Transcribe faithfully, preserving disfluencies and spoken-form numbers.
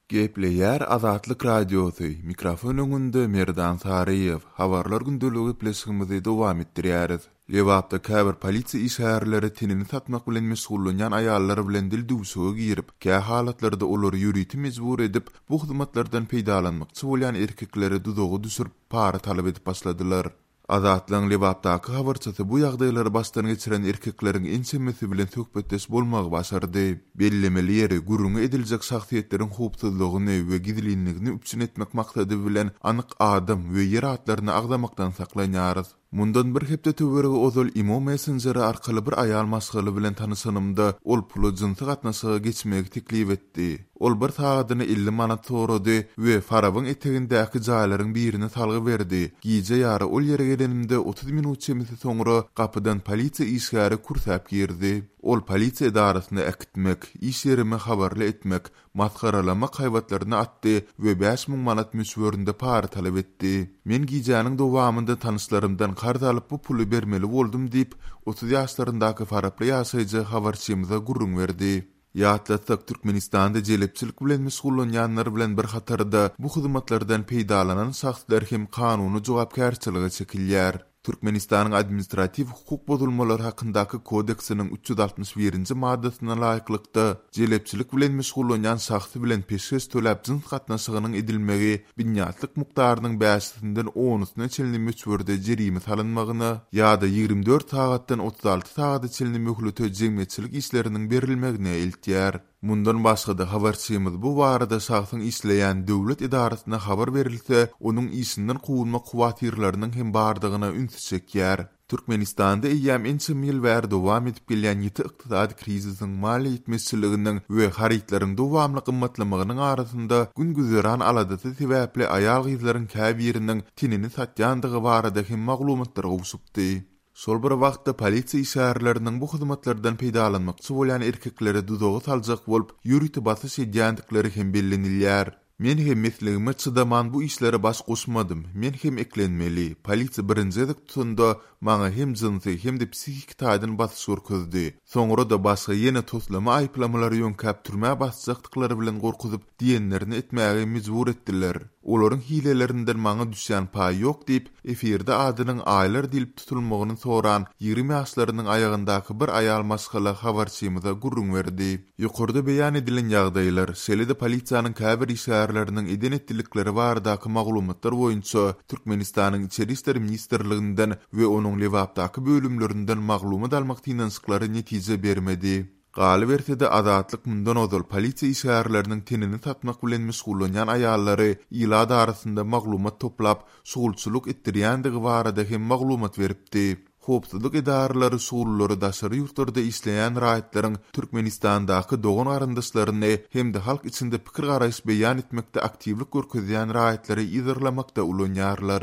Gepleýär Azatlyk Radiosy, mikrofon öňünde Merdan Saryýew. Habarlar gündeligi gepleşigimizi dowam etdirýäris. Lebapda käbir polisiýa işgärleri tenini satmak bilen meşgullanýan aýallar bilen dil düwşüge girip, kä halatlarda olary ýörite mejbur edip, bu hyzmatlardan peýdalanmakçy bolýan erkekleri duzaga düşürip, para talap edip başladylar. Azatlygyň Lebapdaky habarçysy bu ýagdaýlary başdan geçiren erkekleriň ençemesi bilen söhbetdeş bolmagy başardy. Bellemeli ýeri, gürrüňi ediljek şahsyýetleriň howpsuzlygyny we gizlinligini üpjün etmek maksady bilen anyk adam we ýer atlaryny agzamakdan saklanýarys. Mundan bir hepde töweregi ozal Imo messenjeri arkaly bir aýal maşgala bilen tanyşanymda, ol pula jynsy gatnaşyga geçmegi teklip etdi. Ol bir sagadyna elli manat sorady we Farabyň etegindäki jaýlaryň birini salgy berdi. Gije ýary ol ýere gelenimde otuz minut çemesi soňra gapydan polisiýa işgäri kürsäp girdi. Ol polisiýa edarasyna äkitmek, iş ýerime habarly etmek, masgaralamak haýbatlaryny atdy we bäş müň manat möçberinde para talap etdi. Men gijäniň dowamynda tanyşlarymdan karz alyp bu puly bermeli boldum diýip, otuz ýaşlaryndaky faraply ýaşaýjy habarçymyza gürrüň berdi. Ýatlatsak, Türkmenistanda jelepçilik bilen meşgullanýanlar bilen bir hatarda bu hyzmatlardan peýdalanan şahslar hem kanuny jogapkärçilige çekilýär. Türkmenistanyň administratiw hukuk bozulmalary hakyndaky kodeksiniň üç ýüz altmyş birinji maddasyna laýyklykda jelepçilik bilen meşgullanýan şahsy bilen peşgeş töläp jyns gatnaşygynyň edilmegi binýatlyk mukdarynyň bäşisinden onusyna çenli möçberde jerime salynmagyna ýa-da ýigrimi dört sagatdan otuz alty sagada çenli möhlete jemgyýetçilik işleriniň berilmegine eltýär. Mundan başga-da habarçymyz bu barada şahsyň işleýän döwlet edarasyna habar berilse, onuň işinden kowulmak howatyrlarynyň hem bardygyna ünsi çekýär. Türkmenistanda eýýäm ençeme ýyl bäri dowam edip gelýän ýiti ykdysady krizisiň, maliýe ýetmezçiliginiň we harytlaryň dowamly gymmatlamagynyň arasynda gün-güzeran aladasy sebäpli aýal-gyzlaryň käbiriniň tenini satýandygy barada hem maglumatlar gowşupdy. Şol bir wagtda polisiýa işgärleriniň bu hyzmatlardan peýdalanmakçy bolýan erkekleri duzaga saljak bolup, ýörite basyş edýändikleri hem bellenilýär. Men hem mesligime çydaman bu işlere baş goşmadym. Men hem eklenmeli. Polisiýa birinji gezek tutanda maňa hem jynsy hem-de psihiki taýdan basyş görkezdi. Soňra-da başga ýene toslama aýyplamalary ýöňkäp türmä basjakdyklary bilen gorkuzyp diýenlerini etmäge mejbur etdiler. Olaryň hilelerinden maňa düşýän paý ýok diýip, efirde adynyň aýlar diýlip tutulmagyny soran ýigrimi ýaşlarynyň aýagyndaky bir aýal maşgala habarçymyza gürrüň berdi. Ýokarda beýan edilen ýagdaýlar, şeýle-de polisiýanyň käbir işgärleriniň eden etdilikleri baradaky maglumatlar boýunça Türkmenistanyň Içeri işler ministrliginden we onuň Lebapdaky bölümlerinden maglumat almak synanyşyklary netije bermedi. Galyberse-de Azatlyk mundan ozal polisiýa işgärleriniň tenini satmak bilen meşgullanýan aýallary ilat arasynda maglumat toplap, şugulçylyk etdirýändigi barada hem maglumat beripdi. Howpsuzlyk edaralary şugullary daşary ýurtlarda işleýän raýatlaryň Türkmenistandaky dogan garyndaşlaryny hem-de halk içinde pikir garaýyş beýan etmekde aktiwlik görkezýän raýatlary yzarlamakda ulanýarlar.